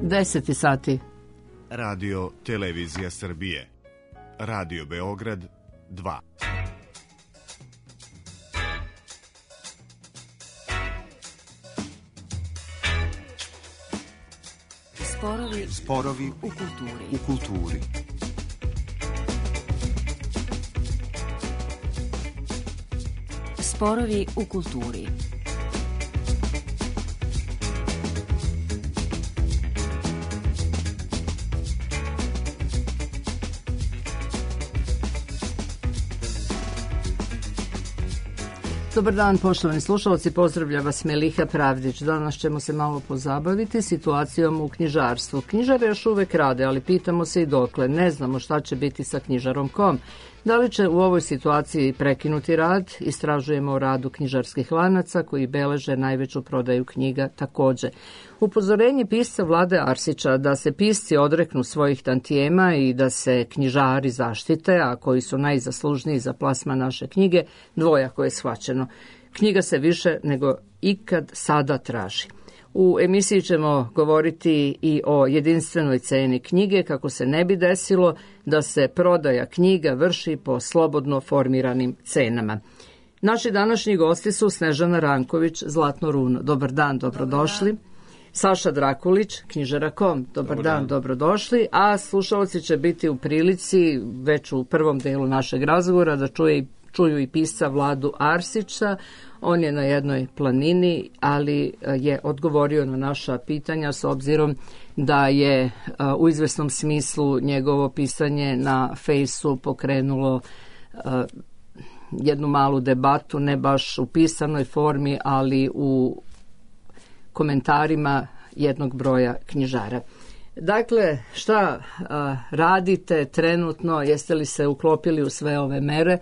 10 sati. Radio Televizija Srbije. Radio Beograd 2. Sporovi u kulturi. Sporovi u kulturi. Dobar dan, poštovani slušalci, pozdravlja vas Meliha Pravdić. Danas ćemo se malo pozabaviti situacijom u knjižarstvu. Knjižare još uvek rade, ali pitamo se i dokle. Ne znamo šta će biti sa knjižarom.com. Da li će u ovoj situaciji prekinuti rad? Istražujemo o radu knjižarskih lanaca koji beleže najveću prodaju knjiga takođe. Upozorenje pisca Vlade Arsića da se pisci odreknu svojih tantijema i da se knjižari zaštite, a koji su najzaslužniji za plasman naše knjige, dvojako je shvaćeno. Knjiga se više nego ikad sada traži. U emisiji ćemo govoriti i o jedinstvenoj ceni knjige, kako se ne bi desilo da se prodaja knjiga vrši po slobodno formiranim cenama. Naši današnji gosti su Snežana Ranković, Zlatno runo. Dobar dan, dobrodošli. Dobar dan. Saša Drakulić, knjižara.com. Dobar dan, dobrodošli. A slušalci će biti u prilici, već u prvom delu našeg razgovora, da čuju i pisca Vladu Arsića. On je na jednoj planini, ali je odgovorio na naša pitanja s obzirom da je u izvesnom smislu njegovo pisanje na Fejsu pokrenulo jednu malu debatu, ne baš u pisanoj formi, ali u komentarima jednog broja knjižara. Dakle, šta radite trenutno, jeste li se uklopili u sve ove mere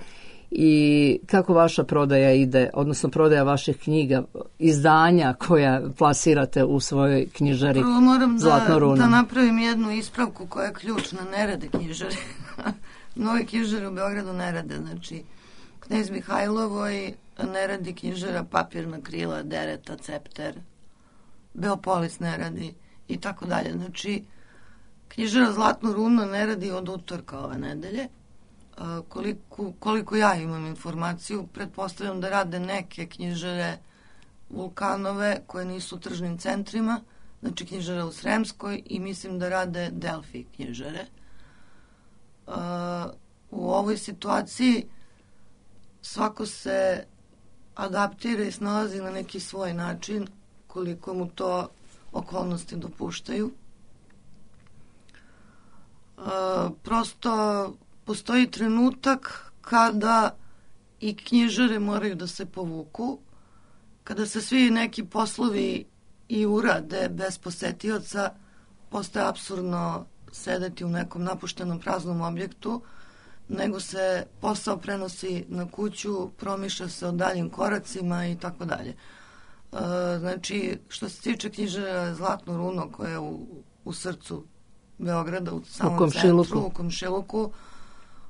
i kako vaša prodaja ide, odnosno prodaja vaših knjiga, izdanja koja plasirate u svojoj knjižari Zlatno runo? Da napravim jednu ispravku koja je ključna, ne rade knjižare. Mnogi knjižare u Beogradu ne rade, znači Knez Mihajlovoj ne radi knjižara Papirna krila, Dereta, Cepter, Beopolis ne radi i tako dalje. Znači, knjižara Zlatno runo ne radi od utorka ove nedelje. Koliko ja imam informaciju, pretpostavljam da rade neke knjižare Vulkanove koje nisu u tržnim centrima, znači knjižare u Sremskoj, i mislim da rade Delfi knjižare. U ovoj situaciji svako se adaptira i snalazi na neki svoj način koliko mu to okolnosti dopuštaju. Prosto postoji trenutak kada i knjižare moraju da se povuku, kada se svi neki poslovi i urade bez posetioca, postaje apsurdno sedeti u nekom napuštenom praznom objektu, nego se posao prenosi na kuću, promišlja se o daljim koracima i tako dalje. Znači, što se tiče knjižara Zlatno runo, koja je u srcu Beograda, u samom centru, u Komšiluku,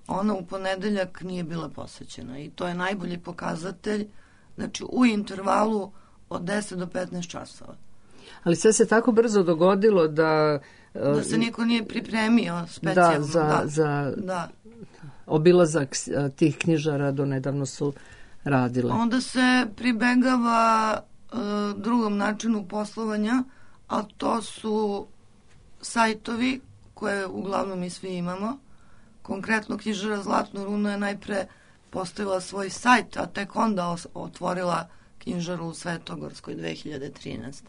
ona u ponedeljak nije bila posećena i to je najbolji pokazatelj, znači u intervalu od 10 do 15 časova. Ali sve se tako brzo dogodilo da se niko nije pripremio specijalno. Da. Obilazak tih knjižara do nedavno su radile. Onda se pribegava drugom načinu poslovanja, a to su sajtovi koje uglavnom mi svi imamo. Konkretno knjižara Zlatno runo je najpre postavila svoj sajt, a tek onda otvorila knjižaru u Svetogorskoj 2013.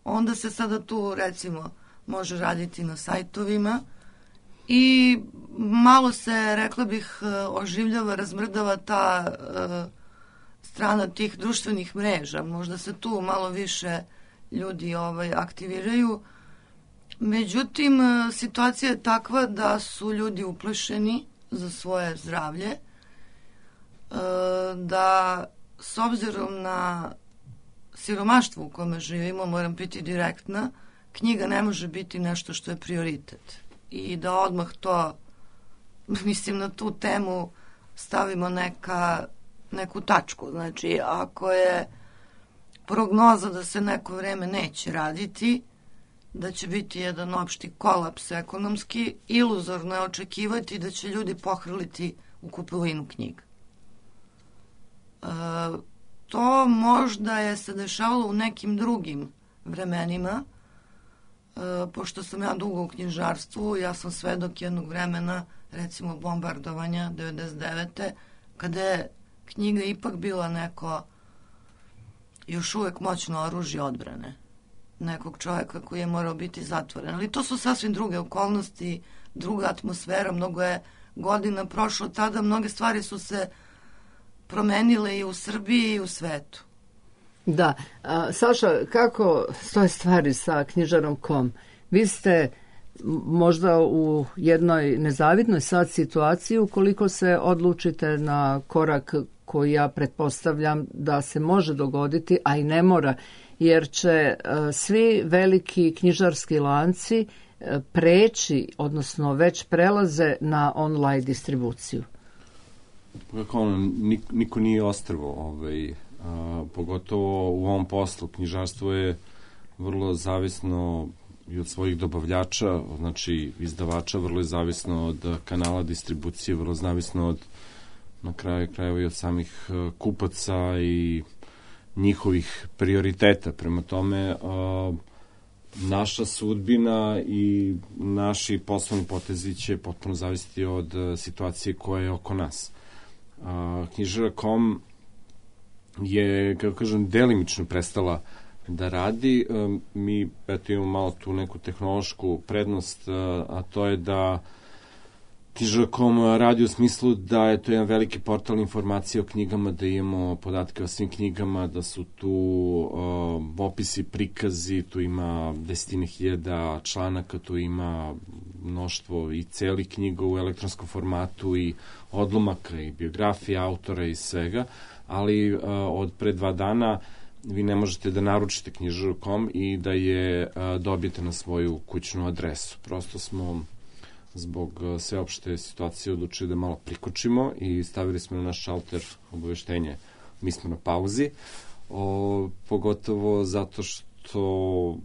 Onda se sada tu, recimo, može raditi na sajtovima i malo se, rekla bih, oživljava, razmrdava ta strana tih društvenih mreža. Možda se tu malo više ljudi aktiviraju. Međutim, situacija je takva da su ljudi uplašeni za svoje zdravlje, da s obzirom na siromaštvo u kome živimo, moram biti direktna, knjiga ne može biti nešto što je prioritet. I da odmah to, mislim, na tu temu stavimo neku tačku. Znači, ako je prognoza da se neko vreme neće raditi, da će biti jedan opšti kolaps ekonomski, iluzorno je očekivati da će ljudi pohrliti u kupovinu knjiga. To možda je se dešavalo u nekim drugim vremenima, pošto sam ja dugo u knjižarstvu, ja sam svedok jednog vremena, recimo bombardovanja 99. kada je knjiga ipak bila neko još uvek moćno oružje odbrane nekog čovjeka koji je morao biti zatvoren. Ali to su sasvim druge okolnosti, druga atmosfera, mnogo je godina prošlo tada, mnoge stvari su se promenile i u Srbiji i u svetu. Da. Saša, kako stoje stvari sa knjižarom.com? Vi ste možda u jednoj nezavidnoj sad situaciji ukoliko se odlučite na korak koji ja pretpostavljam da se može dogoditi, a i ne mora, jer će svi veliki knjižarski lanci preći, odnosno već prelaze na online distribuciju. Niko nije ostrvo, pogotovo u ovom poslu. Knjižarstvo je vrlo zavisno i od svojih dobavljača, znači izdavača, vrlo je zavisno od kanala distribucije, vrlo zavisno od, na kraju krajeva, i od samih kupaca i njihovih prioriteta. Prema tome, naša sudbina i naši poslovni potezi će potpuno zavisiti od situacije koja je oko nas. Knjižara.com je, kako kažem, delimično prestala da radi. Mi imamo malo tu neku tehnološku prednost, a to je da knjižara.com radi u smislu da je to jedan veliki portal informacije o knjigama, da imamo podatke o svim knjigama, da su tu opisi, prikazi, tu ima 10.000 članaka, tu ima mnoštvo i celih knjiga u elektronskom formatu i odlomaka i biografija autora i svega, ali od pre 2 dana vi ne možete da naručite knjižaru.com i da je dobijete na svoju kućnu adresu. Prosto smo zbog sveopšte situacije odlučili da malo prikočimo i stavili smo na naš šalter obaveštenje. Mi smo na pauzi, pogotovo zato što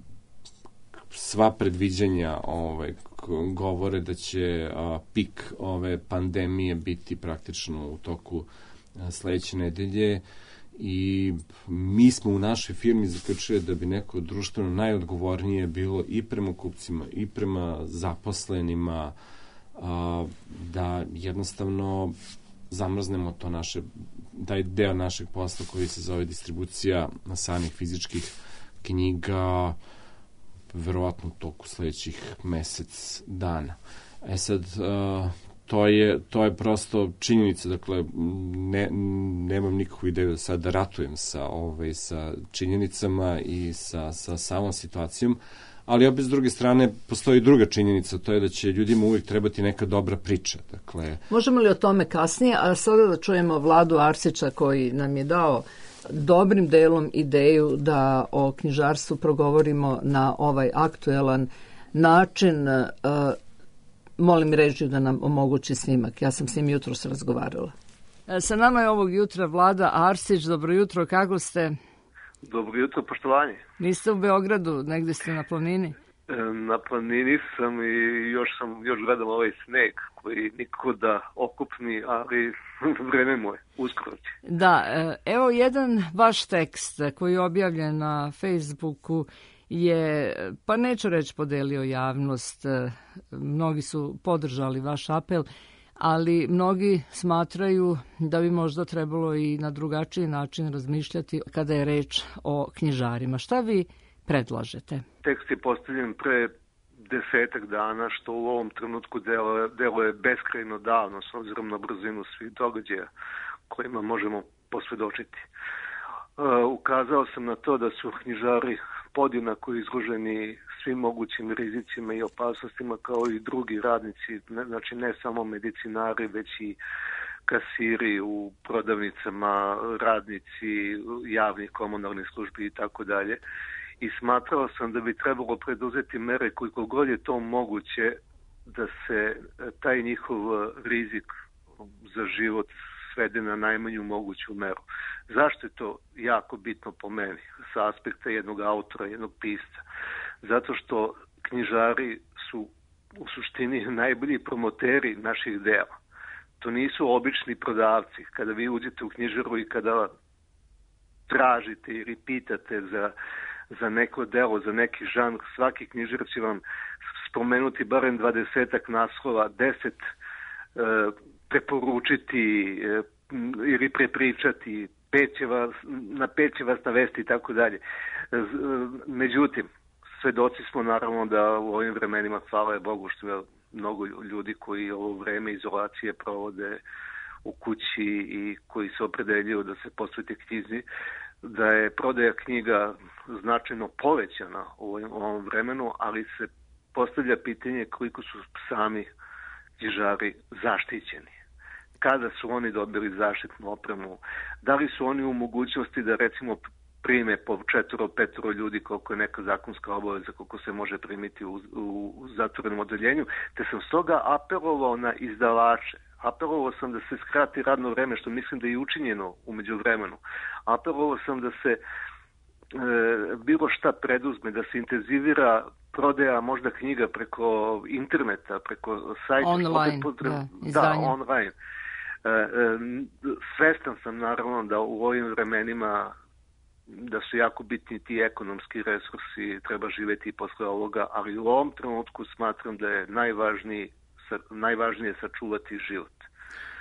sva predviđanja govore da će pik ove pandemije biti praktično u toku sledeće nedelje i mi smo u našoj firmi zaključili da bi neko društveno najodgovornije bilo i prema kupcima i prema zaposlenima, da jednostavno zamrznemo to taj deo našeg posla koji se zove distribucija samih fizičkih knjiga, verovatno u toku sledećih mesec dana. Sad, to je prosto činjenica, dakle, nemam nikakvu ideju da sad ratujem sa činjenicama i sa samom situacijom, ali opet s druge strane postoji druga činjenica, to je da će ljudima uvijek trebati neka dobra priča. Dakle, možemo li o tome kasnije, a sada da čujemo Vladu Arsića koji nam je dao dobrim delom ideju da o knjižarstvu progovorimo na ovaj aktuelan način. Molim režiju da nam omogući snimak. Ja sam s njim jutros razgovarala. Sa nama je ovog jutra Vlada Arsić. Dobro jutro, kako ste? Dobro jutro, poštovanje. Niste u Beogradu, negde ste na planini? Na planini sam i još gledam ovaj sneg koji nikako da okupni, ali vreme mu je, uskoro će. Da, evo jedan vaš tekst koji je objavljen na Facebooku je, pa neću reći podelio javnost, mnogi su podržali vaš apel, ali mnogi smatraju da bi možda trebalo i na drugačiji način razmišljati kada je reč o knjižarima. Šta vi predlažete? Tekst je postavljen pre 10 dana, što u ovom trenutku deluje beskrajno davno, s obzirom na brzinu svih događaja kojima možemo posvedočiti. Ukazao sam na to da su knjižari podjednako izloženi svim mogućim rizicima i opasnostima kao i drugi radnici, znači ne samo medicinari, već i kasiri u prodavnicama, radnici javnih komunalnih službi i tako dalje. I smatrao sam da bi trebalo preduzeti mere koliko god je to moguće da se taj njihov rizik za život svede na najmanju moguću meru. Zašto je to jako bitno po meni sa aspekta jednog autora, jednog pisca? zato što knjižari su u suštini najbolji promoteri naših dela. To nisu obični prodavci. Kada vi uđete u knjižaru i kada tražite ili pitate za neko delo, za neki žanr, svaki knjižar će vam spomenuti barem 20 naslova, 10 preporučiti ili prepričati, na 5 će vas navesti i tako dalje. Međutim, svedoci smo naravno da u ovim vremenima, hvala Bogu, što je mnogo ljudi koji ovo vreme izolacije provode u kući i koji se opredeljuju da se posvete knjizi, da je prodaja knjiga značajno povećana u ovom vremenu, ali se postavlja pitanje koliko su sami knjižari zaštićeni. Kada su oni dobili zaštitnu opremu? Da li su oni u mogućnosti da recimo prime po 4-5 ljudi koliko je neka zakonska obaveza, koliko se može primiti u zatvorenom odeljenju, te sam stoga apelovao na izdavače. Apelovao sam da se skrati radno vreme, što mislim da je učinjeno u međuvremenu. Apelovao sam da se bilo šta preduzme, da se intenzivira prodaja možda knjiga preko interneta, preko sajta. Online, da, online. Svestan sam naravno da u ovim vremenima da su jako bitni ti ekonomski resursi, treba živjeti i posle ovoga, ali u ovom trenutku smatram da je najvažnije sačuvati život.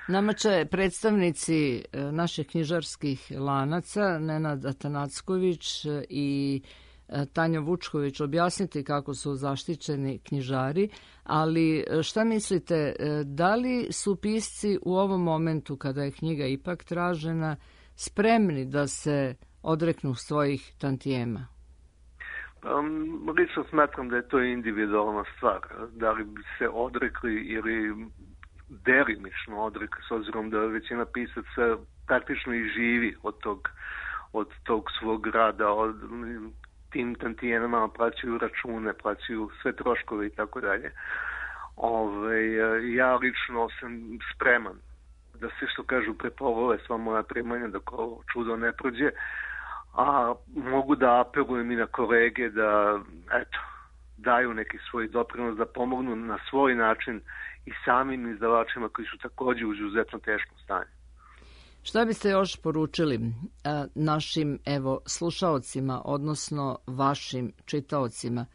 Nama će predstavnici naših knjižarskih lanaca, Nenad Atanacković i Tanja Vučković, objasniti kako su zaštićeni knjižari, ali šta mislite, da li su pisci u ovom momentu kada je knjiga ipak tražena spremni da se odreknu svojih tantijema? Lično smatram da je to individualna stvar. Da li bi se odrekli ili delimično odrekli, s obzirom da većina pisaca praktično i živi od tog svog rada, od tim tantijenama plaćaju račune, plaćaju sve troškove i tako dalje. Ja lično sam spreman da se, što kažu, prepovole sva moja primanja, da ko čudo ne prođe, a mogu da apelujem i na kolege da daju neki svoj doprinos, da pomognu na svoj način i samim izdavačima koji su također u izuzetno teškom stanju. Šta biste još poručili našim slušaocima, odnosno vašim čitaocima,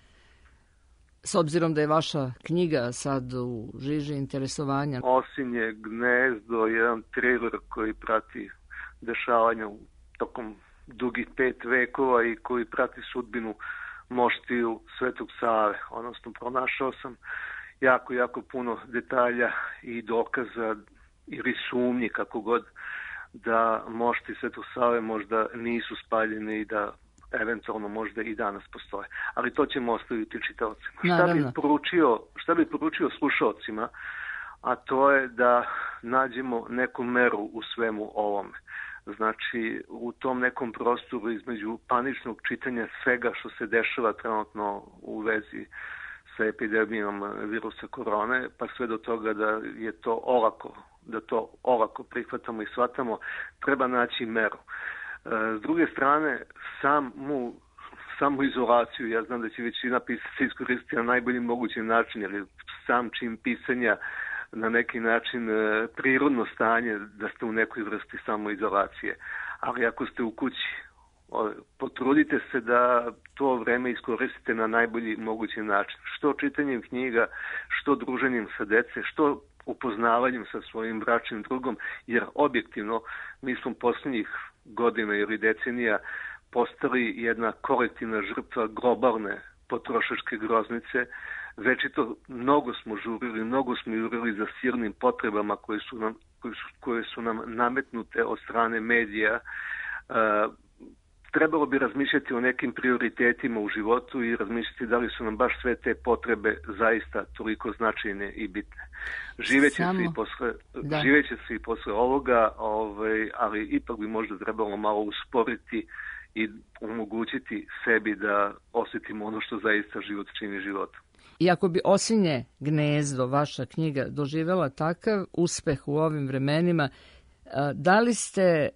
s obzirom da je vaša knjiga sad u žiži interesovanja? Osinje gnezdo, jedan thriller koji prati dešavanja tokom dugih 5 vekova i koji prati sudbinu moštiju Svetog Save. Odnosno, pronašao sam jako puno detalja i dokaza ili sumnji, kako god, da mošti Svetog Save možda nisu spaljeni i da eventualno možda i danas postoje. Ali to ćemo ostaviti čitaocima. Šta bi poručio slušaocima, a to je da nađemo neku meru u svemu ovome. Znači, u tom nekom prostoru između paničnog čitanja svega što se dešava trenutno u vezi sa epidemijom virusa korone, pa sve do toga da je to olako prihvatamo i shvatamo, treba naći meru. S druge strane, samu izolaciju, ja znam da će većina pisaca iskoristiti na najbolji mogući način, jer sam čin pisanja na neki način prirodno stanje da ste u nekoj vrsti samoizolacije. Ali ako ste u kući, potrudite se da to vreme iskoristite na najbolji mogući način. Što čitanjem knjiga, što druženjem sa dece, što upoznavanjem sa svojim bračnim drugom, jer objektivno mi smo posljednjih godina ili decenija postali jedna kolektivna žrtva globalne potrošačke groznice. Večito mnogo smo jurili za sirnim potrebama koje su nam nametnute od strane medija. Trebalo bi razmišljati o nekim prioritetima u životu i razmišljati da li su nam baš sve te potrebe zaista toliko značajne i bitne. Živeće se i posle ovoga, ali ipak bi možda trebalo malo usporiti i omogućiti sebi da osjetimo ono što zaista život čini životom. I ako bi Osinje gnezdo, vaša knjiga, doživjela takav uspeh u ovim vremenima, da li ste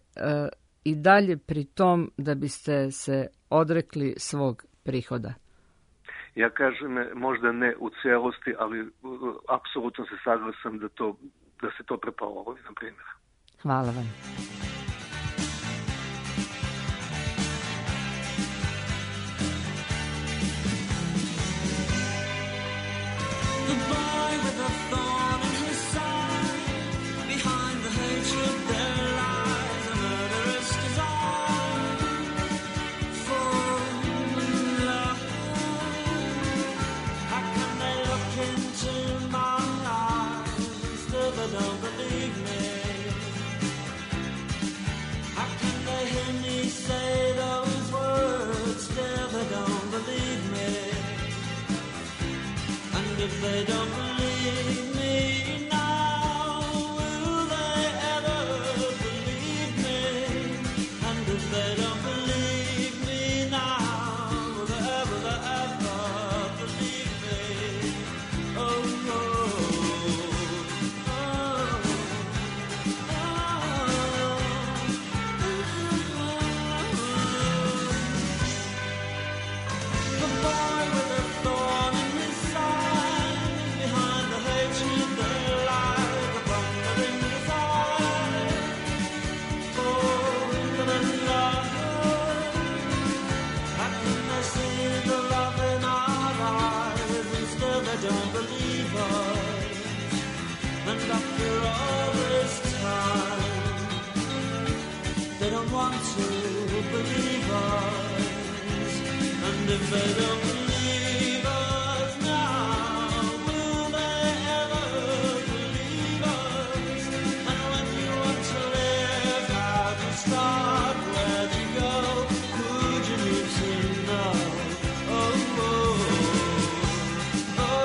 i dalje pri tom da biste se odrekli svog prihoda? Ja kažem, možda ne u celosti, ali apsolutno se saglasan da se to prepolovi, na primjer. Hvala vam. If they don't believe me now, will they ever believe me? And if they don't believe me now, will they ever believe me? Oh, no. The boy with a thorn in his side, behind the hatred there lies a thundering desire for the love. How can they see the love in our eyes and still they don't believe us? And after all this time, they don't want to believe us. And if they don't believe us now, will they ever believe us? And when you want to live, how do you start? Where do you go? Could you need to know? Oh, oh, oh,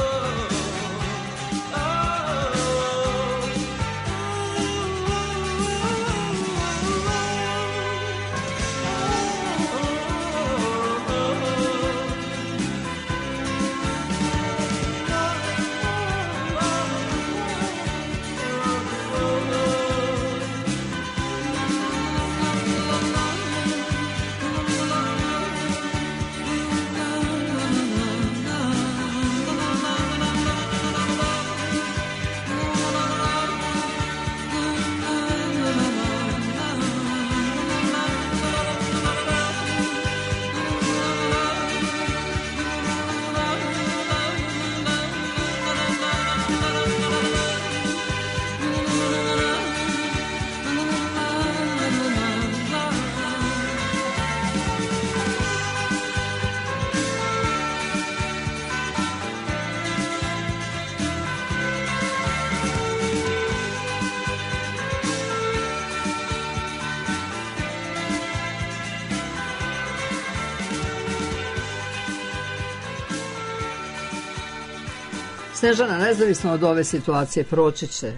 Snežana, nezavisno od ove situacije, proći će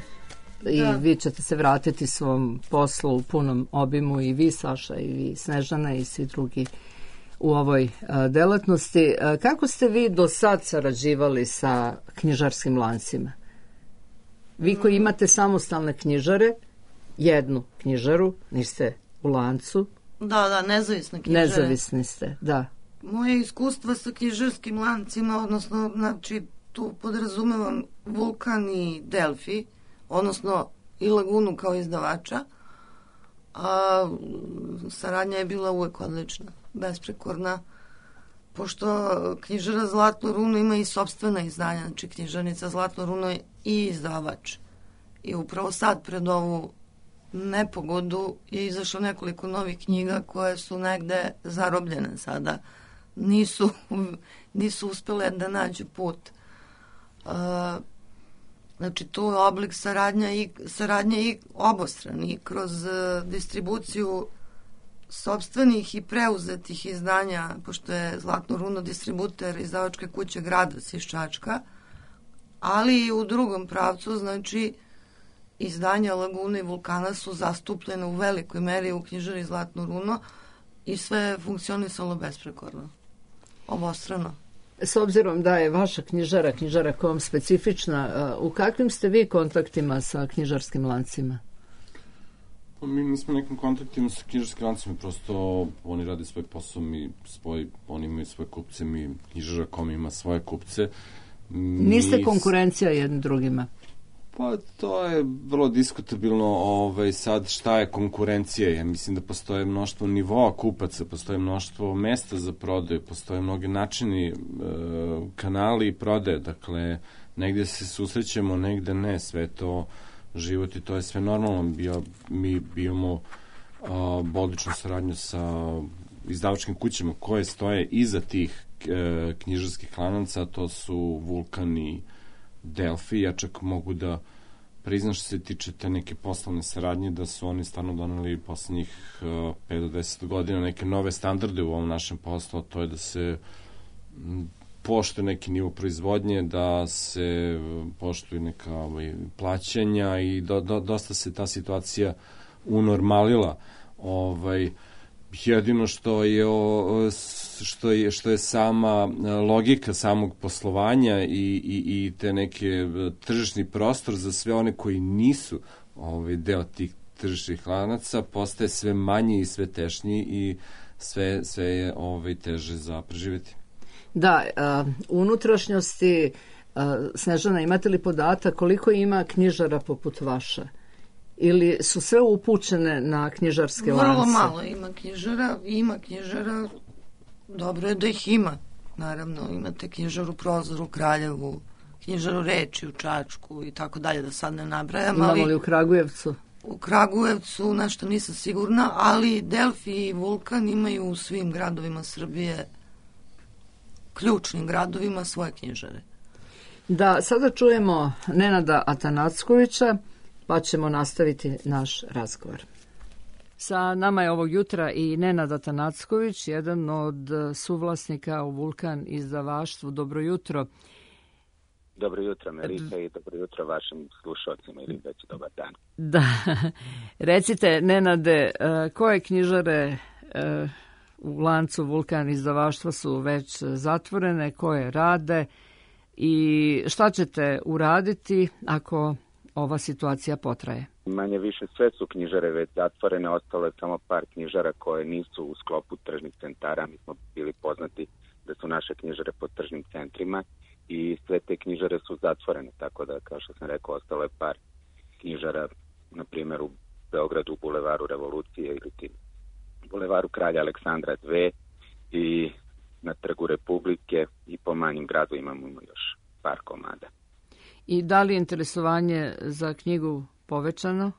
i vi ćete se vratiti svom poslu u punom obimu, i vi, Saša, i vi, Snežana, i svi drugi u ovoj delatnosti. Kako ste vi do sad sarađivali sa knjižarskim lancima? Vi koji imate samostalne knjižare, jednu knjižaru, niste u lancu. Da, nezavisne knjižare. Nezavisni ste, da. Moje iskustva sa knjižarskim lancima, odnosno, znači, tu podrazumevam Vulkan i Delfi, odnosno i Lagunu kao izdavača, a saradnja je bila uvek odlična, besprekorna, pošto knjižara Zlatno runo ima i sopstvena izdanja, znači knjižarnica Zlatno runo je i izdavač. I upravo sad, pred ovu nepogodu, je izašlo nekoliko novih knjiga koje su negde zarobljene sada. Nisu uspele da nađu put. Znači, to je oblik saradnje i obostrani kroz distribuciju sopstvenih i preuzetih izdanja, pošto je Zlatno runo distributer izdavačke kuće Gradac iz Čačka, ali i u drugom pravcu, znači, izdanja Lagune i Vulkana su zastupljene u velikoj meri u knjižari Zlatno runo i sve je funkcionisalo besprekorno, obostrano. S obzirom da je vaša knjižara kom specifična, u kakvim ste vi kontaktima sa knjižarskim lancima? Mi nismo nekim kontaktima sa knjižarskim lancima, prosto oni rade svoj posao, oni imaju svoje kupce, knjižara.com ima svoje kupce. Niste konkurencija jednim drugima? Pa to je vrlo diskutabilno sad šta je konkurencija. Ja mislim da postoje mnoštvo nivoa kupaca, postoje mnoštvo mesta za prodaju, postoje mnogi načini, kanali prodaje, dakle negde se susrećemo, negde ne, sve to život i to je sve normalno. Mi imamo odličnu saradnju sa izdavačkim kućama koje stoje iza tih knjižarskih lanaca, to su Vulkan i Delfi. Ja čak mogu da priznam što se tiče te neke poslovne saradnje, da su oni stvarno doneli poslednjih 5 do 10 godina neke nove standarde u ovom našem poslu, to je da se poštuje neki nivo proizvodnje, da se poštuju neka plaćanja i dosta se ta situacija unormalila. Jedino što je sama logika samog poslovanja i te neke tržišni prostor za sve one koji nisu deo tih tržišnih lanaca postaje sve manji i sve tešnji i sve je teže za preživjeti. Da, unutrašnjosti, Snežana, imate li podatak koliko ima knjižara poput vaše? Ili su sve upućene na knjižarske lance? Vrlo malo ima knjižara, dobro je da ih ima. Naravno, imate knjižaru Prozor u Kraljevu, knjižaru Reči u Čačku i tako dalje, da sad ne nabrajam. Imamo li u Kragujevcu? U Kragujevcu nešto nisam sigurna, ali Delfi i Vulkan imaju u svim gradovima Srbije, ključnim gradovima, svoje knjižare. Da, sada čujemo Nenada Atanackovića, pa ćemo nastaviti naš razgovor. Sa nama je ovog jutra i Nenad Atanacković, jedan od suvlasnika u Vulkan izdavaštvu. Dobro jutro. Dobro jutro, Melika, i dobro jutro vašim slušalcima ili već dobar dan. Da, recite, Nenade, koje knjižare u lancu Vulkan izdavaštva su već zatvorene, koje rade i šta ćete uraditi ako ova situacija potraje? Manje više sve su knjižare već zatvorene, ostalo je samo par knjižara koje nisu u sklopu tržnih centara. Mi smo bili poznati da su naše knjižare pod tržnim centrima i sve te knjižare su zatvorene, tako da, kao što sam rekao, ostalo je par knjižara, na primjer u Beogradu, u Bulevaru Revolucije ili Bulevaru Kralja Aleksandra 2 i na Trgu Republike i po manjim gradu imamo još par komada. I da li je interesovanje za knjigu povećano?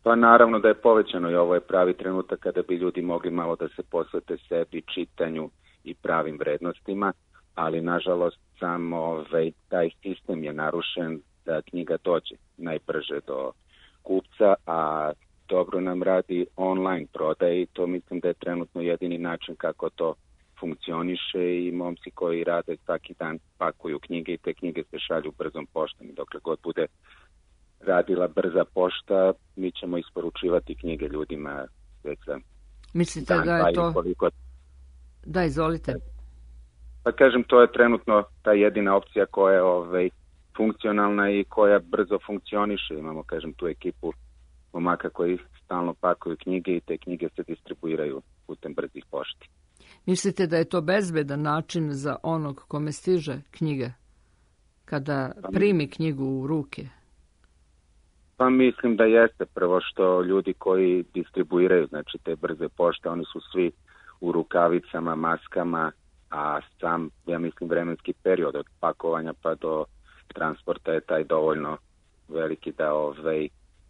Pa naravno da je povećano i ovo je pravi trenutak kada bi ljudi mogli malo da se posvete sebi, čitanju i pravim vrednostima, ali nažalost samo taj sistem je narušen da knjiga dođe najbrže do kupca, a dobro nam radi online prodaje i to mislim da je trenutno jedini način kako to funkcioniše i momci koji rade svaki dan pakuju knjige i te knjige se šalju brzom poštom i dokle god bude radila brza pošta, mi ćemo isporučivati knjige ljudima već za Mislite dan, da je to... koliko... Da, izvolite. Pa kažem, to je trenutno ta jedina opcija koja je funkcionalna i koja brzo funkcioniše. Imamo, kažem, tu ekipu momaka koji stalno pakuju knjige i te knjige se distribuiraju putem brzih pošti. Mislite da je to bezbedan način za onog kome stiže knjiga, kada primi knjigu u ruke? Pa mislim da jeste. Prvo što ljudi koji distribuiraju, znači te brze pošte, oni su svi u rukavicama, maskama, a sam, ja mislim, vremenski period od pakovanja pa do transporta je taj dovoljno veliki da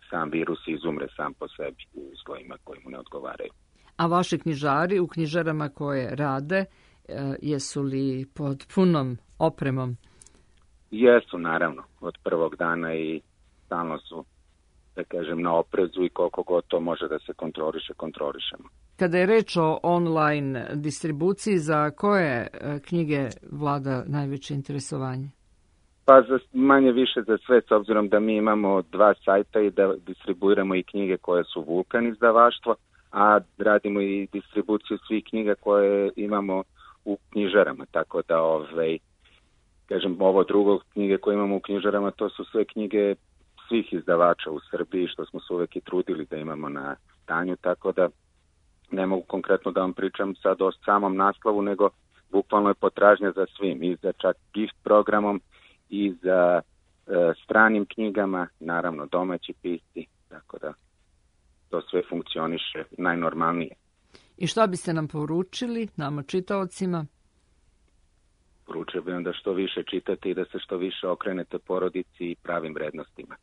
sam virus izumre sam po sebi u uslovima koji mu ne odgovaraju. A vaši knjižari u knjižarama koje rade, jesu li pod punom opremom? Jesu, naravno, od prvog dana i stalno su, da kažem, na oprezu i koliko god to može da se kontrolišemo. Kada je reč o online distribuciji, za koje knjige vlada najveće interesovanje? Pa manje više za sve, s obzirom da mi imamo 2 sajta i da distribuiramo i knjige koje su Vulkan izdavaštvo, a radimo i distribuciju svih knjiga koje imamo u knjižarama, tako da, kažem, ovo drugo knjige koje imamo u knjižarama, to su sve knjige svih izdavača u Srbiji, što smo se uvek i trudili da imamo na stanju, tako da ne mogu konkretno da vam pričam sad o samom naslovu, nego bukvalno je potražnja za svim, i za čak gift programom, i za stranim knjigama, naravno domaći pisci, tako da to sve funkcioniše najnormalnije. I šta biste nam poručili, nama čitaocima? Poručio bih vam da što više čitate i da se što više okrenete porodici i pravim vrednostima.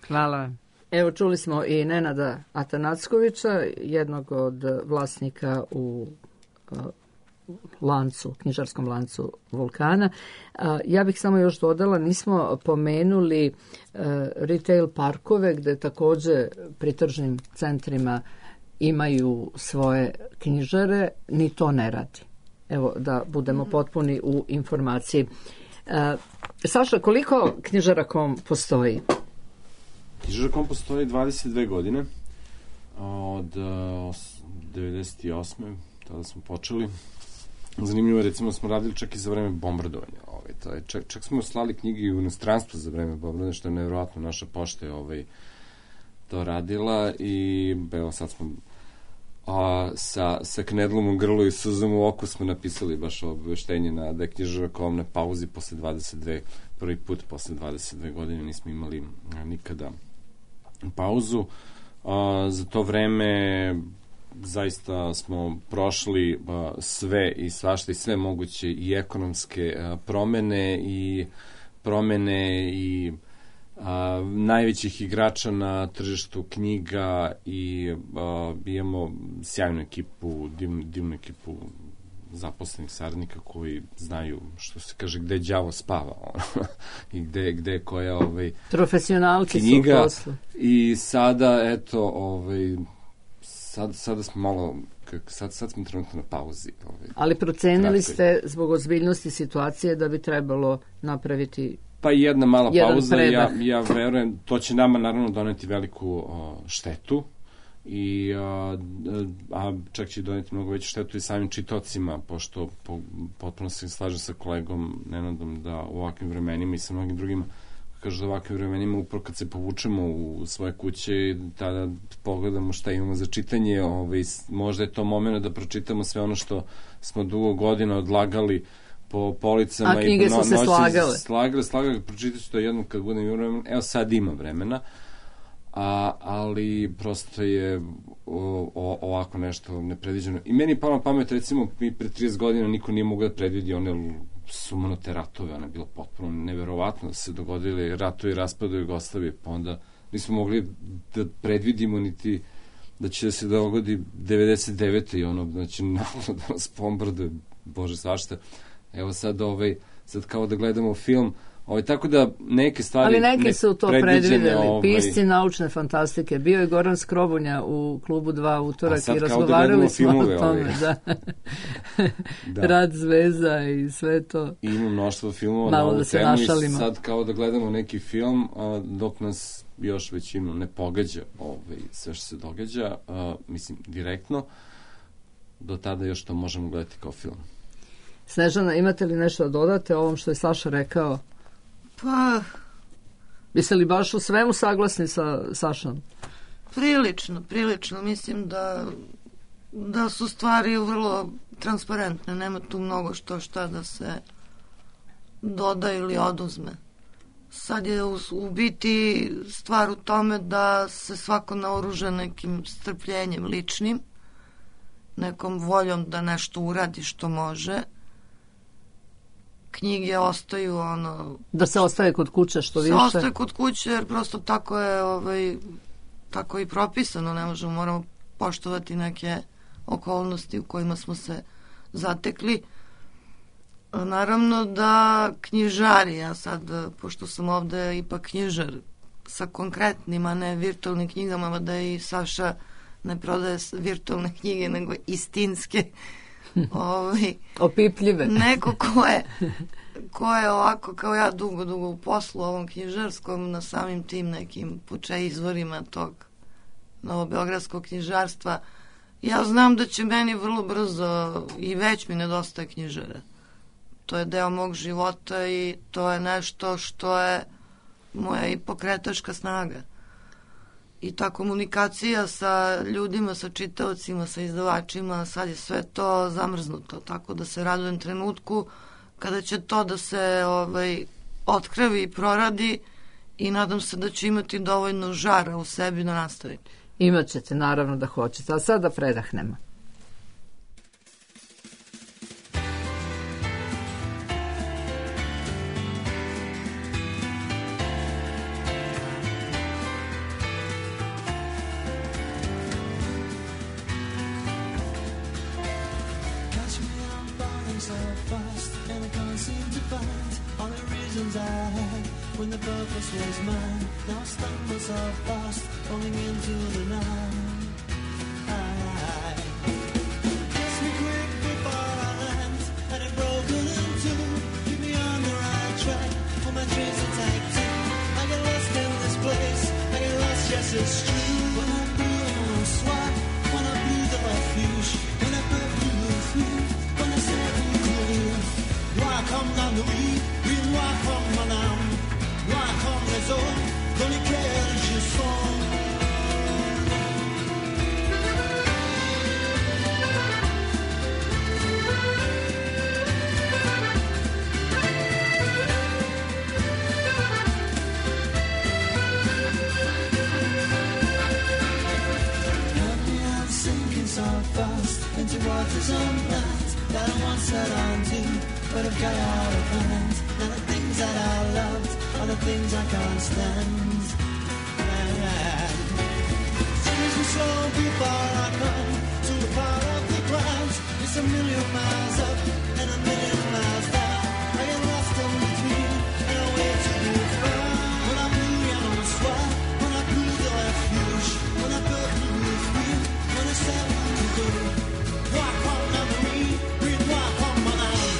Hvala. Evo, čuli smo i Nenada Atanackovića, jednog od vlasnika u lancu, knjižarskom lancu Vulkana. Ja bih samo još dodala, nismo pomenuli retail parkove gde takođe pri tržnim centrima imaju svoje knjižare, ni to ne radi. Evo, da budemo potpuni u informaciji. Saša, koliko knjižara.com postoji? Knjižara.com postoji 22 godine, od 98. tada smo počeli. Zanimljivo je, recimo, smo radili čak i za vreme bombardovanja. Čak smo slali knjige i u inostranstvo za vreme bombardovanja, što je nevjerovatno. Naša pošta je to radila i evo sad smo sa knedlom u grlu i suzom u oku smo napisali baš obaveštenje da je knjižara.com na pauzi posle 22, prvi put posle 22 godine nismo imali nikada pauzu. Za to vreme zaista smo prošli sve i svašta i sve moguće i ekonomske promene i najvećih igrača na tržištu knjiga i imamo sjajnu ekipu, divnu ekipu zaposlenih saradnika koji znaju, što se kaže, gde đavo spava i gde je koja profesionalci knjiga. Su u poslu. I sada, eto, sada smo malo, sad smo trenutno na pauzi. Ali procenili ste zbog ozbiljnosti situacije da bi trebalo napraviti pa jedna mala pauza, ja verujem, to će nama naravno doneti veliku štetu, a čak će doneti mnogo veću štetu i samim čitocima, pošto potpuno se slažem sa kolegom Nenadom da u ovakvim vremenima i sa mnogim drugima, kažu da u ovakvim vremenima upravo kad se povučemo u svoje kuće, tada pogledamo šta imamo za čitanje, možda je to moment da pročitamo sve ono što smo dugo godina odlagali po policama. A knjige su se slagale. Slagale, pročitat ću to jednom kad budem imao vremena. Evo sad ima vremena, ali prosto je ovako nešto nepredviđeno. I meni palo na pamet, recimo, mi pre 30 godina niko nije mogao da predvidi one sumanute ratove, ono je bilo potpuno neverovatno da se dogodili ratovi i raspadu Jugoslavije, pa onda nismo mogli da predvidimo niti da će se dogodi 99. i ono, znači, naravno da nas bombarduje, bože svašta. Evo sad kao da gledamo film, tako da neke stvari ali neki su to predvideli, pisci naučne fantastike. Bio je Goran Skrobunja u klubu 2 utorak i razgovarali smo o tome. Da. Rad zvezda i sve to. I ima mnoštvo filmova na ovu temu i sad kao da gledamo neki film, dok nas još većinu ne pogađa sve što se događa, mislim, direktno, do tada još to možemo gledati kao film. Snežana, imate li nešto da dodate o ovom što je Saša rekao? Pa... Biste li baš u svemu saglasni sa Sašom? Prilično. Mislim da su stvari vrlo transparentne. Nema tu mnogo šta da se doda ili oduzme. Sad je u biti stvar u tome da se svako naoruža nekim strpljenjem ličnim, nekom voljom da nešto uradi što može. Knjige ostaju da se ostaje kod kuće što više. Se ostaje kod kuće jer prosto tako je tako i propisano, moramo poštovati neke okolnosti u kojima smo se zatekli. Naravno da knjižari, ja sad, pošto sam ovde ipak knjižar sa konkretnim, a ne virtualnim knjigama, da i Saša ne prodaje virtualne knjige, nego istinske, opipljive. Neko ko je ovako kao ja dugo u poslu ovom knjižarskom, na samim tim nekim izvorima tog novobeogradskog knjižarstva, ja znam da će meni vrlo brzo i već mi nedostaje knjižara. To je deo mog života i to je nešto što je moja i pokretačka snaga. I ta komunikacija sa ljudima, sa čitaocima, sa izdavačima, sad je sve to zamrznuto, tako da se radujem trenutku kada će to da se otkrevi i proradi i nadam se da će imati dovoljno žara u sebi da nastavi. Imaćete, naravno da hoćete, a sada predahnemo. When the purpose was mine, now I stumble so fast, falling into the night. Kiss me quick before I land, and it broken in two. Keep me on the right track, for my dreams are tight too. I get lost in this place, I get lost, yes it's true. When I blew on a swat, when I blew the refuge, when I broke through the feet, when I said who could you? Noir comme la nuit, oui noir comme mon âme. Noir comme les eaux dans lesquelles je songe. I'm sinking so fast into waters unknown that I once set on to, but I've got out of hand. Now the things that I loved are the things I can't stand. Change me slow before I come to the part of the clouds. It's a million miles up and a million miles down. I get lost in between and I wait to be found. When I blew yellow swat, when I blew the refuge, when I broke through the feet, when I said what to do. Noir comme la nuit, oui noir comme mon âme.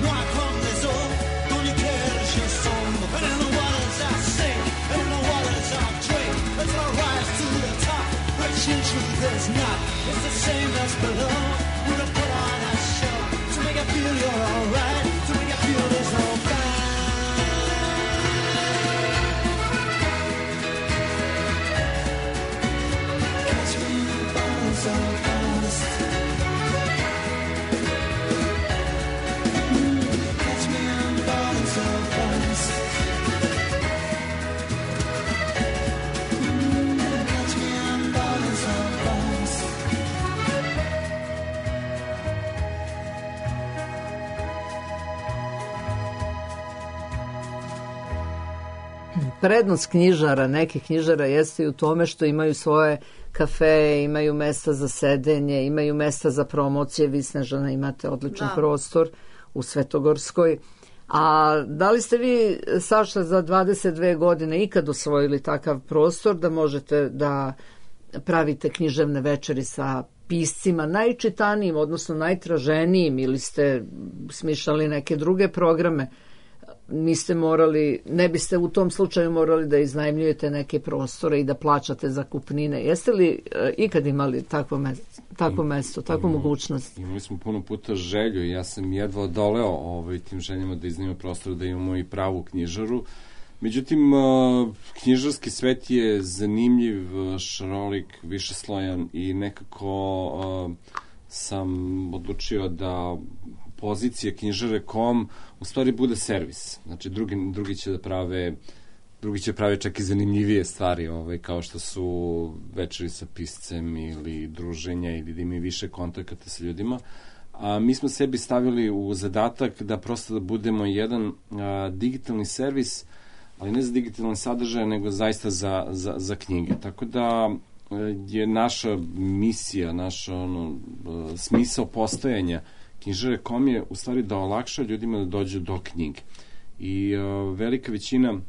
Noir comme les eaux dans lesquelles je sombre. And in the waters I sing, and in the waters I drink, until I rise to the top, which in truth is not. It's the same as below. We're gonna put on a show to make it feel you're alright, to make it feel there's no fight. Catch me falling so fast. Catch me, I'm falling so fast. Catch me, I'm falling so fast. Prednost knjižara, nekih knjižara jeste i u tome što imaju svoje kafe, imaju mesta za sedenje, imaju mesta za promocije. Vi, Snežana, imate odličan prostor u Svetogorskoj. A da li ste vi, Saša, za 22 godine ikad osvojili takav prostor da možete da pravite književne večeri sa piscima najčitanijim, odnosno najtraženijim, ili ste smišljali neke druge programe? Niste morali, ne biste u tom slučaju morali da iznajmljujete neke prostore i da plaćate zakupnine. Jeste li ikad imali takvo mesto, takvu mogućnost? Imali smo puno puta želju i ja sam jedva odoleo tim željama da iznajmimo prostor, da imamo i pravu knjižaru. Međutim, knjižarski svet je zanimljiv, šarolik, višeslojan i nekako sam odlučio da pozicija knjižare.com u stvari bude servis. Znači, drugi će prave čak i zanimljivije stvari, kao što su večeri sa piscem ili druženja ili da imaju više kontakata sa ljudima. A mi smo sebi stavili u zadatak da prosto da budemo jedan digitalni servis, ali ne za digitalni sadržaj, nego zaista za knjige. Tako da je naša misija, naš smisao postojanja knjižare.com je u stvari da olakša ljudima da dođu do knjige. I velika većina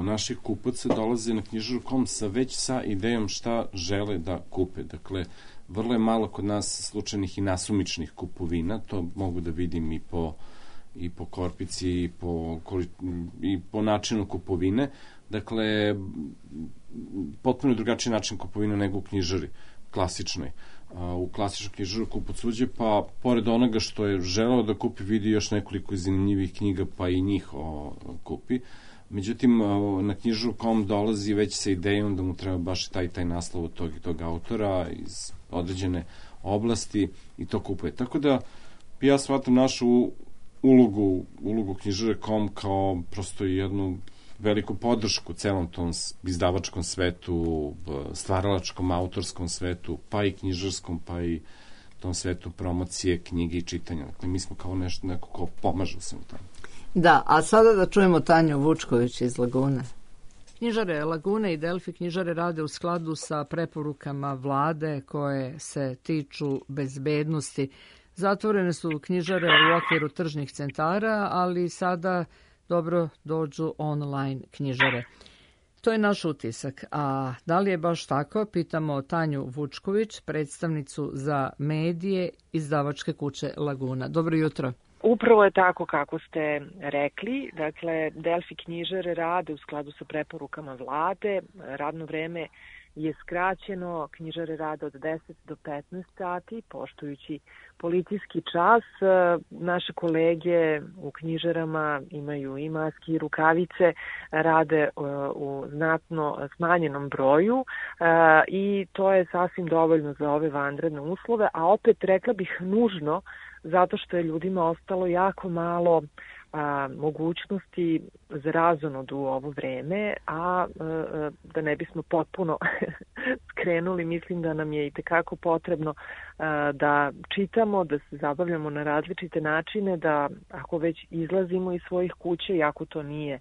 naših kupaca dolaze na knjižare.com već sa idejom šta žele da kupe. Dakle, vrlo je malo kod nas slučajnih i nasumičnih kupovina, to mogu da vidim i po korpici i po načinu kupovine. Dakle, potpuno drugačiji način kupovine nego u knjižari, klasičnoj. u klasičnu knjižaru Kupac uđe, pa pored onoga što je želeo da kupi, vidi još nekoliko zanimljivih knjiga, pa i njih kupi. Međutim, na knjižaru.com dolazi već sa idejom da mu treba baš taj naslov od tog i tog autora iz određene oblasti i to kupuje. Tako da ja shvatam našu ulogu knjižare.com kao prosto jednu veliku podršku celom tom izdavačkom svetu, stvaralačkom, autorskom svetu, pa i knjižarskom, pa i tom svetu promocije, knjige i čitanja. Dakle, mi smo kao neko ko pomaže u svemu tome. Da, a sada da čujemo Tanju Vučković iz Lagune. Knjižare Lagune i Delfi knjižare rade u skladu sa preporukama vlade koje se tiču bezbednosti. Zatvorene su knjižare u okviru tržnih centara, ali sada dobro dođu online knjižare. To je naš utisak. A da li je baš tako? Pitamo Tanju Vučković, predstavnicu za medije izdavačke kuće Laguna. Dobro jutro. Upravo je tako kako ste rekli. Dakle, Delfi knjižare rade u skladu sa preporukama vlade. Radno vreme je skraćeno, knjižare rade od 10 do 15 sati, poštujući policijski čas. Naše kolege u knjižarama imaju i maske i rukavice, rade u znatno smanjenom broju i to je sasvim dovoljno za ove vanredne uslove, a opet rekla bih nužno, zato što je ljudima ostalo jako malo mogućnosti za razonodu u ovo vreme, a da ne bismo potpuno skrenuli, mislim da nam je i tekako potrebno da čitamo, da se zabavljamo na različite načine, da ako već izlazimo iz svojih kuća, iako to nije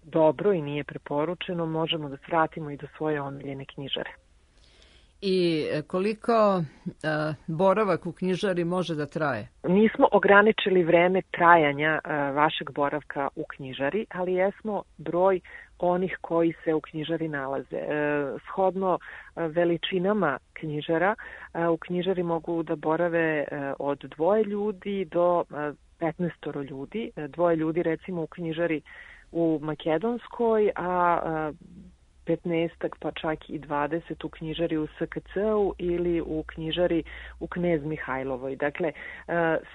dobro i nije preporučeno, možemo da svratimo i do svoje omiljene knjižare. I koliko boravak u knjižari može da traje? Nismo ograničili vreme trajanja vašeg boravka u knjižari, ali jesmo broj onih koji se u knjižari nalaze. Shodno veličinama knjižara, u knjižari mogu da borave od 2 ljudi do 15 ljudi. 2 ljudi recimo u knjižari u Makedonskoj, a 15 pa čak i 20 u knjižari u SKC-u ili u knjižari u Knez Mihajlovoj. Dakle,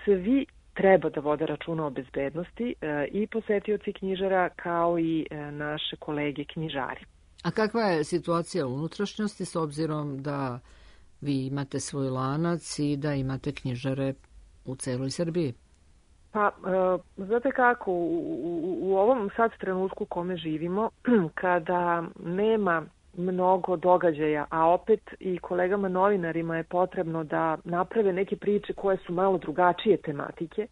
svi treba da vode računa o bezbednosti, i posetioci knjižara kao i naše kolege knjižari. A kakva je situacija u unutrašnjosti s obzirom da vi imate svoj lanac i da imate knjižare u celoj Srbiji? Pa, znate kako, u ovom sad trenutku u kome živimo, kada nema mnogo događaja, a opet i kolegama novinarima je potrebno da naprave neke priče koje su malo drugačije tematike,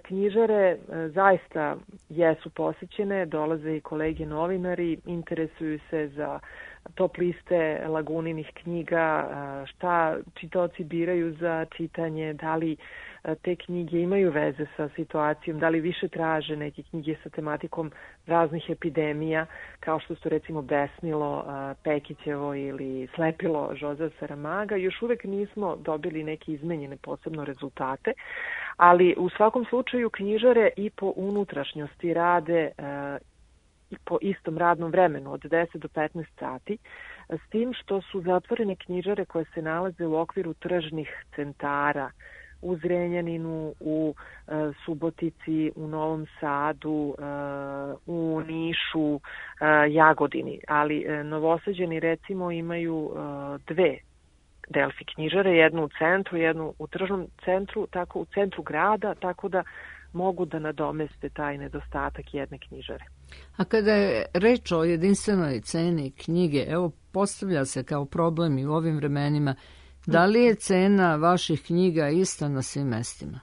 knjižare zaista jesu posećene, dolaze i kolege novinari, interesuju se za top liste Laguninih knjiga, šta čitaoci biraju za čitanje, da li te knjige imaju veze sa situacijom, da li više traže neke knjige sa tematikom raznih epidemija, kao što su recimo Besnilo Pekićevo ili Slepilo Žozea Saramaga. Još uvek nismo dobili neke izmenjene posebno rezultate, ali u svakom slučaju knjižare i po unutrašnjosti rade i po istom radnom vremenu od 10 do 15 sati, s tim što su zatvorene knjižare koje se nalaze u okviru tržnih centara u Zrenjaninu, u Subotici, u Novom Sadu, u Nišu, Jagodini. Ali Novosađani recimo imaju 2 Delfi knjižare, jednu u centru, jednu u tržnom centru, tako u centru grada, tako da mogu da nadomeste taj nedostatak jedne knjižare. A kada je reč o jedinstvenoj ceni knjige, evo postavlja se kao problem i u ovim vremenima, da li je cena vaših knjiga ista na svim mestima?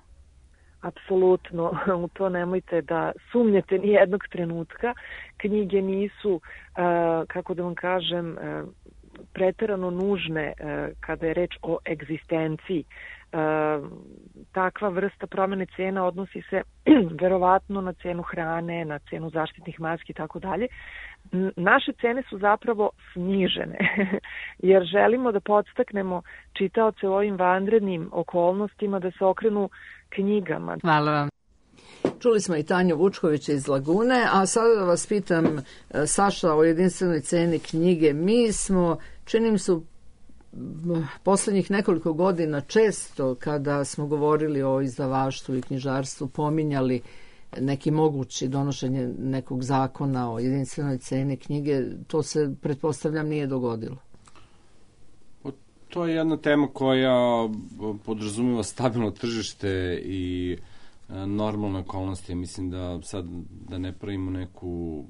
Apsolutno, u to nemojte da sumnjate ni jednog trenutka. Knjige nisu, kako da vam kažem, preterano nužne kada je reč o egzistenciji. Takva vrsta promene cena odnosi se verovatno na cenu hrane, na cenu zaštitnih maski i tako dalje. Naše cene su zapravo snižene, jer želimo da podstaknemo čitaoce u ovim vanrednim okolnostima da se okrenu knjigama. Hvala vam. Čuli smo i Tanju Vučkovića iz Lagune, a sada da vas pitam, Saša, o jedinstvenoj ceni knjige. Mi smo, čini mi se, poslednjih nekoliko godina često kada smo govorili o izdavaštvu i knjižarstvu pominjali neki mogući donošenje nekog zakona o jedinstvenoj ceni knjige, to se, pretpostavljam, nije dogodilo. To je jedna tema koja podrazumeva stabilno tržište i normalne okolnosti. Mislim da sad da ne pravimo neku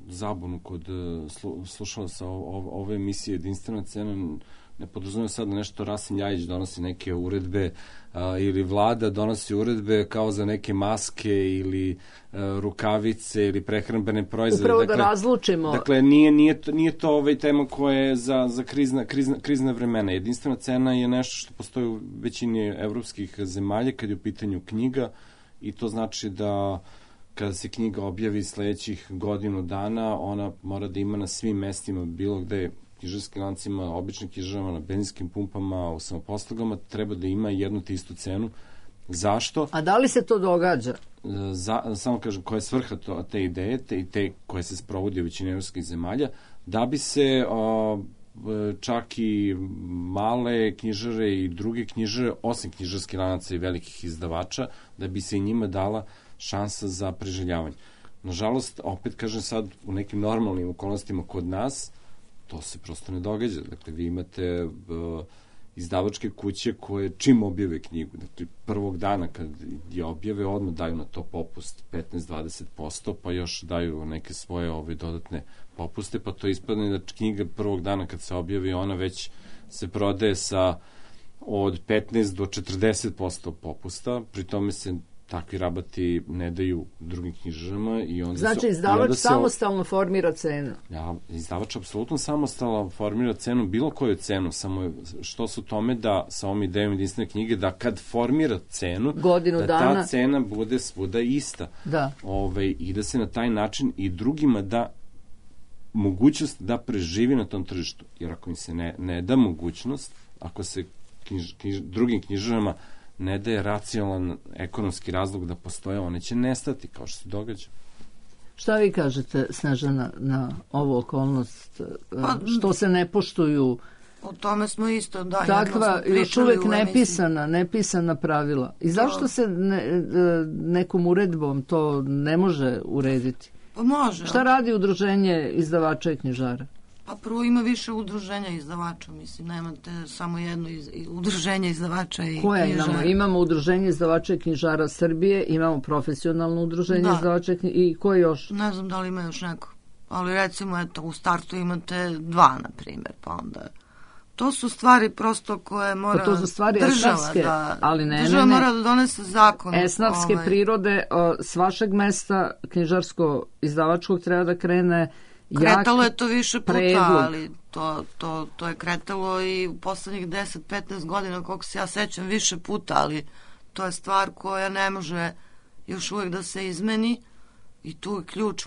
zabunu kod slušalaca ove emisije Jedinstvena cena, ne podrazumeva sad da nešto Rasim Ljajić donosi neke uredbe ili vlada donosi uredbe kao za neke maske ili rukavice ili prehrambene proizvode. Upravo da razlučimo. Dakle, nije to tema koja je za krizna vremena. Jedinstvena cena je nešto što postoji u većini evropskih zemalja kad je u pitanju knjiga i to znači da kada se knjiga objavi sledećih godinu dana, ona mora da ima na svim mestima, bilo gde knjižarskim lancima, običnim knjižarama, na benzinskim pumpama, u samoposlugama, treba da ima jednu te istu cenu. Zašto? A da li se to događa? Samo kažem, koja je svrha te ideje, te koje se sprovodi u većini evropskih zemalja, da bi se čak i male knjižare i druge knjižare, osim knjižarskih lanaca i velikih izdavača, da bi se i njima dala šansa za preživljavanje. Nažalost, opet kažem sad, u nekim normalnim okolnostima kod nas, to se prosto ne događa. Dakle, vi imate izdavačke kuće koje čim objave knjigu, dakle, prvog dana kad je objave, odmah daju na to popust 15-20%, pa još daju neke svoje dodatne popuste, pa to ispadne da knjiga prvog dana kad se objavi, ona već se prodaje sa od 15 do 40% popusta, pri tome se takvi rabati ne daju drugim knjižarama i onda znači izdavač samostalno formira cenu. Ja, izdavač apsolutno samostalno formira cenu, bilo koju cenu, samo što su tome da sa ovom idejom jedinstvene knjige, da kad formira cenu, godinu da dana, ta cena bude svuda ista. Da. I da se na taj način i drugima da mogućnost da preživi na tom tržištu. Jer ako im se ne da mogućnost, ako se drugim knjižarama ne daje racionalan ekonomski razlog da postoje, one će nestati, kao što se događa. Šta vi kažete, Snežana, na ovu okolnost? Što se ne poštuju? O tome smo isto, da. Takva, još uvek nepisana pravila. I zašto se nekom uredbom to ne može urediti? Pa može. Šta radi udruženje izdavača i knjižara? Pa prvo ima više udruženja izdavača, mislim, nemate samo jedno udruženje izdavača i knjižara. Koje imamo? Imamo udruženje izdavača i knjižara Srbije, imamo profesionalno udruženje izdavača i koje još? Ne znam da li ima još neko, ali recimo, eto, u startu imate dva, na primjer, pa onda... To su stvari prosto koje mora to su stvari država država mora da donese zakon. Esnafske prirode, s vašeg mesta knjižarsko-izdavačkog treba da krene. Kretalo je to više puta, ali to je kretalo i u poslednjih 10-15 godina, koliko se ja sećam, više puta, ali to je stvar koja ne može još uvek da se izmeni i tu je ključ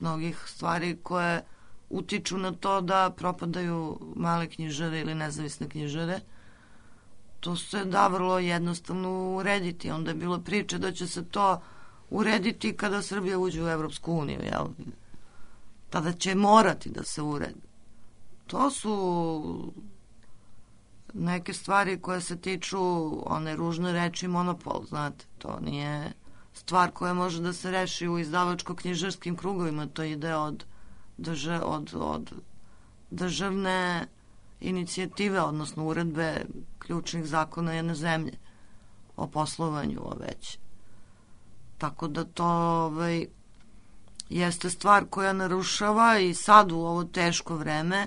mnogih stvari koje utiču na to da propadaju male knjižare ili nezavisne knjižare. To se da vrlo jednostavno urediti. Onda je bilo priče da će se to urediti kada Srbija uđe u Evropsku uniju, jel? Tada će morati da se uredi. To su neke stvari koje se tiču one ružne reči monopol, znate. To nije stvar koja može da se reši u izdavačko-knjižarskim krugovima. To ide od državne inicijative, odnosno uredbe ključnih zakona jedne zemlje o poslovanju već. Tako da to jeste stvar koja narušava i sad u ovo teško vreme,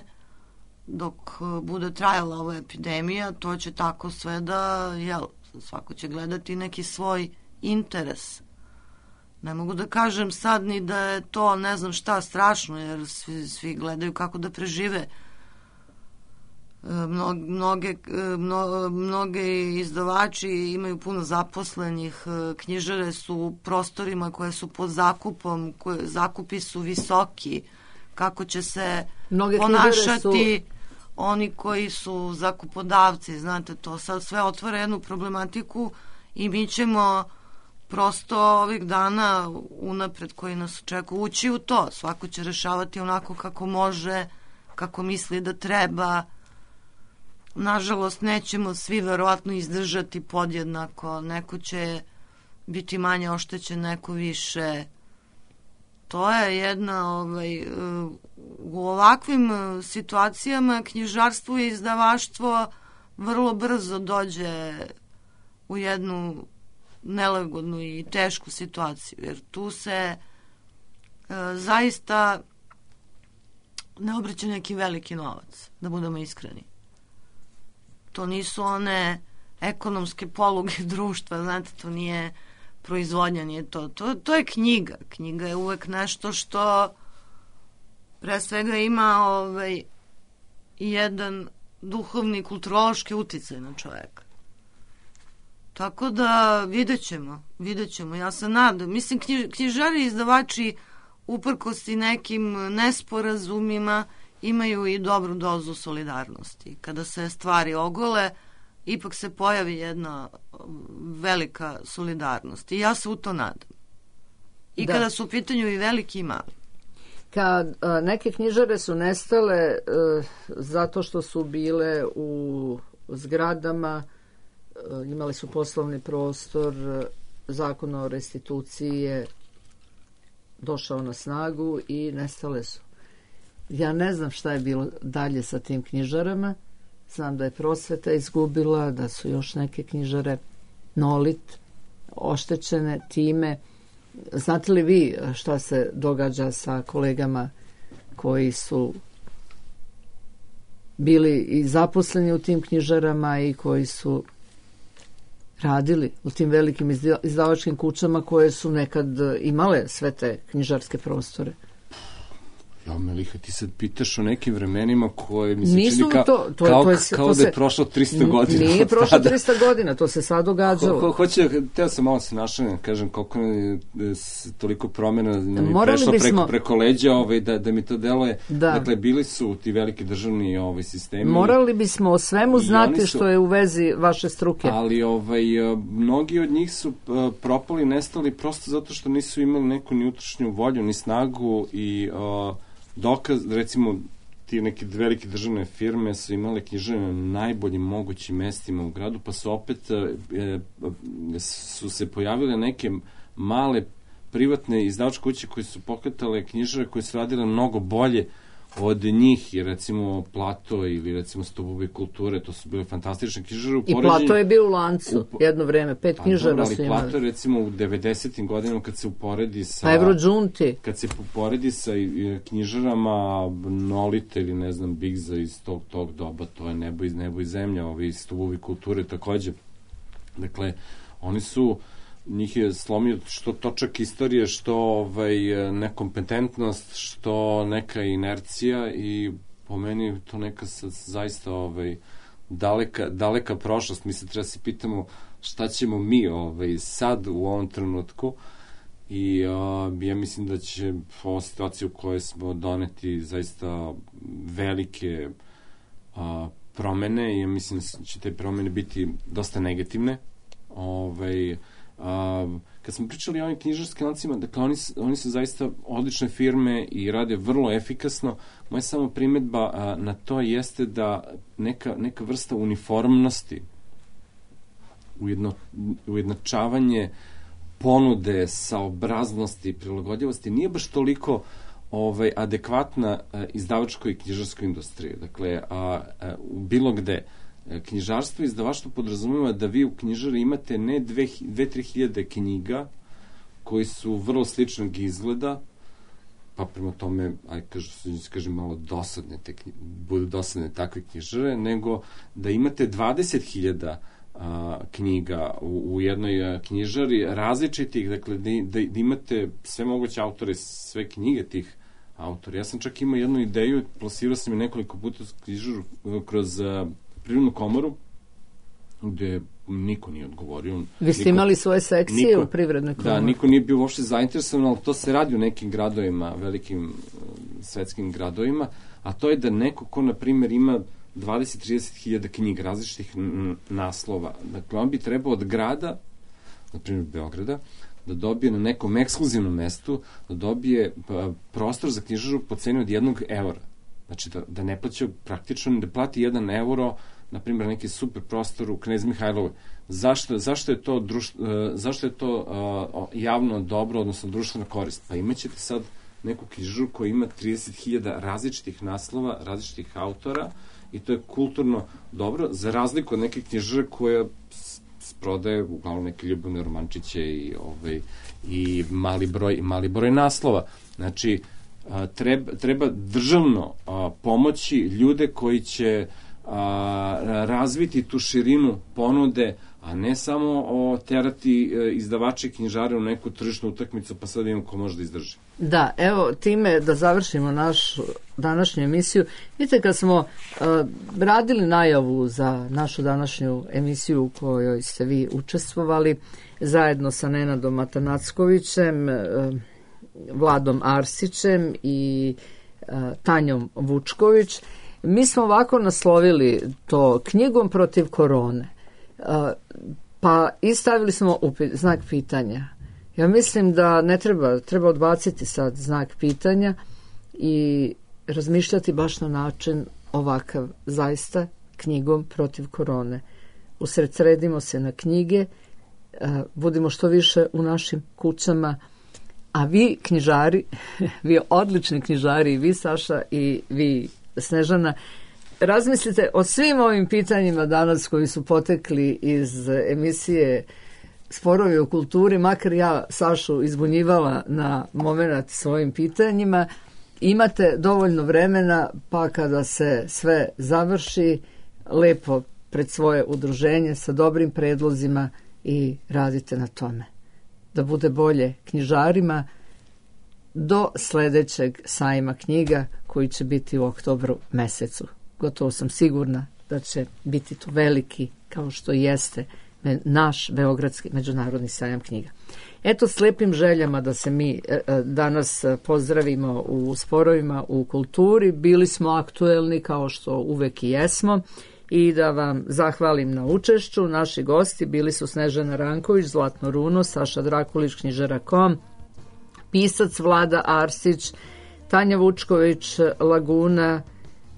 dok bude trajala ova epidemija, to će tako sve da, svako će gledati neki svoj interes. Ne mogu da kažem sad ni da je to ne znam šta strašno, jer svi gledaju kako da prežive. Mnoge izdavači imaju puno zaposlenih, knjižare su u prostorima koje su pod zakupom, zakupi su visoki, kako će se ponašati oni koji su zakupodavci, znate, to sad sve otvara jednu problematiku i mi ćemo prosto ovih dana unapred koji nas očekuju ući u to. Svako će rešavati onako kako može kako misli da treba. Nažalost, nećemo svi verovatno izdržati podjednako. Neko će biti manje oštećen, neko više. To je jedna, u ovakvim situacijama knjižarstvo i izdavaštvo vrlo brzo dođe u jednu nelagodnu i tešku situaciju, jer tu se zaista ne obraća neki veliki novac, da budemo iskreni. To nisu one ekonomske poluge društva, znate, to nije proizvodnja, nije to. To je knjiga. Knjiga je uvek nešto što pre svega ima jedan duhovni, kulturološki uticaj na čoveka. Tako da vidjet ćemo. Ja se nadam. Mislim, knjižari i izdavači uprkos i nekim nesporazumima imaju i dobru dozu solidarnosti. Kada se stvari ogole, ipak se pojavi jedna velika solidarnost. I ja se u to nadam. I kada su u pitanju i veliki i mali. Kad neke knjižare su nestale zato što su bile u zgradama, imali su poslovni prostor, zakon o restituciji je došao na snagu i nestale su. Ja ne znam šta je bilo dalje sa tim knjižarama. Znam da je Prosveta izgubila, da su još neke knjižare Nolit oštećene time. Znate li vi šta se događa sa kolegama koji su bili i zaposleni u tim knjižarama i koji su radili u tim velikim izdavačkim kućama koje su nekad imale sve te knjižarske prostore? Ja, Meliha, ti sad pitaš o nekim vremenima koje mi se čini kao da je prošlo 300 godina. Nije prošlo 300 godina, to se sad događalo. Teo sam malo se našalim, kažem koliko je toliko promjena mi prešlo preko leđa, da mi to deluje. Dakle, bili su ti veliki državni sistemi. Morali bismo o svemu znati što je u vezi vaše struke. Ali mnogi od njih su propali, nestali prosto zato što nisu imali neku ni unutrašnju volju, ni snagu i dokaz, recimo, ti neke velike državne firme su imale knjižare na najboljim mogućim mestima u gradu, pa su opet su se pojavile neke male privatne izdavačke kuće koje su pokretale knjižare koje su radile mnogo bolje od njih, i recimo Plato ili recimo Stubovi kulture, to su bile fantastične knjižare. I Plato je bio u lancu jedno vreme, 5 knjižara su imali. Ali Plato recimo u 90. godinama kad se uporedi sa... Evrođunti. Kad se uporedi sa knjižarama Nolite ili ne znam Bigza iz tog doba, to je nebo i zemlja, ovi Stubovi kulture takođe. Dakle, oni su... njih je slomio što točak istorije, što nekompetentnost, što neka inercija, i po meni to neka zaista daleka prošlost. Mi se treba se pitamo šta ćemo mi sad u ovom trenutku, i ja mislim da će ova situacija u kojoj smo doneti zaista velike promene, i ja mislim da će te promene biti dosta negativne. Kad smo pričali o ovim knjižarskim lancima, dakle oni su zaista odlične firme i rade vrlo efikasno. Moja samo primedba na to jeste da neka vrsta uniformnosti, ujednačavanje ponude, saobraznosti, prilagodljivosti nije baš toliko adekvatna izdavačkoj i knjižarskoj industriji. Dakle, bilo gde knjižarstvo i izdavaštvo podrazumeva da vi u knjižari imate ne 2-3 hiljade knjiga koji su vrlo sličnog izgleda, pa prema tome, kažem malo dosadne, budu dosadne takve knjižare, nego da imate 20.000 knjiga u jednoj knjižari različitih, dakle da imate sve moguće autore, sve knjige tih autora. Ja sam čak imao jednu ideju, plasirao sam je nekoliko puta knjižaru kroz Privrednu komoru, gde niko nije odgovorio. Vi ste imali svoje sekcije u Privrednoj komori? Da, niko nije bio uopšte zainteresovan, ali to se radi u nekim gradovima, velikim svetskim gradovima, a to je da neko ko, na primjer, ima 20-30 hiljada knjiga različitih naslova, dakle, on bi trebao od grada, na primjer Beograda, da dobije na nekom ekskluzivnom mestu, da dobije prostor za knjižaru po ceni od €1. Znači da ne plaća praktično, da plati 1 euro, na primjer neki super prostor u Knez Mihajlovoj. Zašto je to javno dobro, odnosno društvena korist? Pa imaćete sad neku knjižaru koja ima 30.000 različitih naslova, različitih autora, i to je kulturno dobro, za razliku od neke knjižare koja prodaje uglavnom neke ljubavne romančiće i mali broj naslova. Znači, treba državno pomoći ljude koji će razviti tu širinu ponude, a ne samo terati izdavače i knjižare u neku tržišnu utakmicu, pa sad imamo ko može da izdrži. Da, evo, time da završimo našu današnju emisiju. Vidite, kad smo radili najavu za našu današnju emisiju u kojoj ste vi učestvovali, zajedno sa Nenadom Atanackovićem, Vladom Arsićem i Tanjom Vučković, mi smo ovako naslovili to knjigom protiv korone. Pa i stavili smo znak pitanja. Ja mislim da ne treba odbaciti sad znak pitanja i razmišljati baš na način ovakav, zaista knjigom protiv korone. Usredsredimo se na knjige, budimo što više u našim kućama, a vi knjižari, vi odlični knjižari, i vi Saša i vi Snežana, razmislite o svim ovim pitanjima danas koji su potekli iz emisije Sporovi o kulturi, makar ja Sašu izbunjivala na moment svojim pitanjima. Imate dovoljno vremena, pa kada se sve završi, lepo pred svoje udruženje sa dobrim predlozima i radite na tome. Da bude bolje knjižarima do sledećeg sajma knjiga koji će biti u oktobru mesecu. Gotovo sam sigurna da će biti to veliki, kao što jeste naš Beogradski međunarodni sajam knjiga. Eto, s lepim željama da se mi danas pozdravimo u Sporovima u kulturi. Bili smo aktuelni kao što uvek i jesmo, i da vam zahvalim na učešću. Naši gosti bili su Snežana Ranković, Zlatno runo, Saša Drakulić, knjižara.com, pisac Vlada Arsić, Tanja Vučković, Laguna,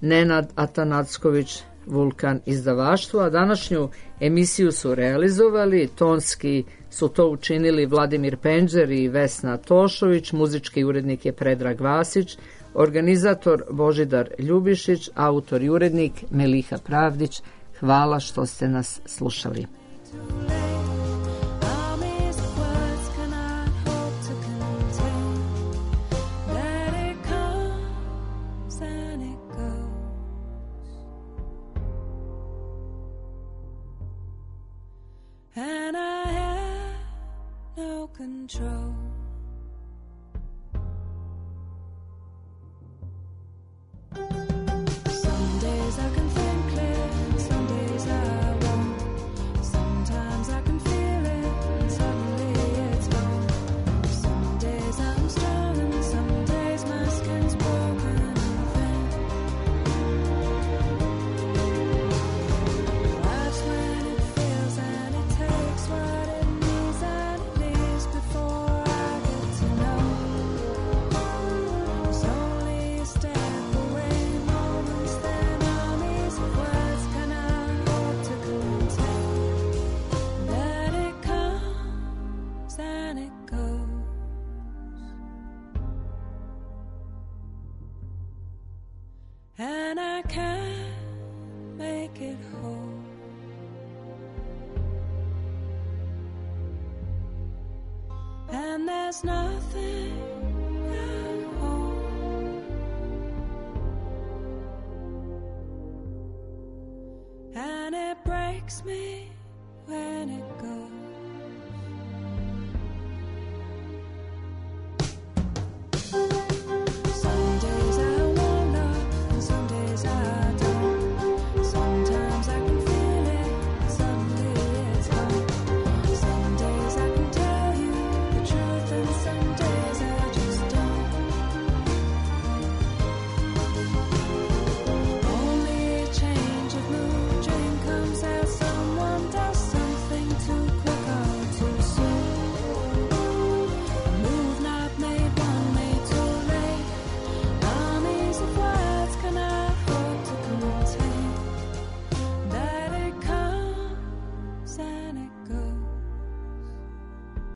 Nenad Atanacković, Vulkan izdavaštvo, a današnju emisiju su realizovali, tonski su to učinili Vladimir Penđer i Vesna Tošović, muzički urednik je Predrag Vasić, organizator Božidar Ljubišić, autor i urednik Meliha Pravdić. Hvala što ste nas slušali. And I have no control. Some days I can think clear, some days I won't. Sometimes I can feel it, and suddenly it's gone. Some days I'm strong, and some days my skin's broken and thin. That's when it feels and it takes what it needs, and it leaves before I get to know. It's only a step away, moments then armies of words can I hope to contain. That it comes and it goes, and I can't make it whole. And there's nothing at all. And it breaks me when it goes.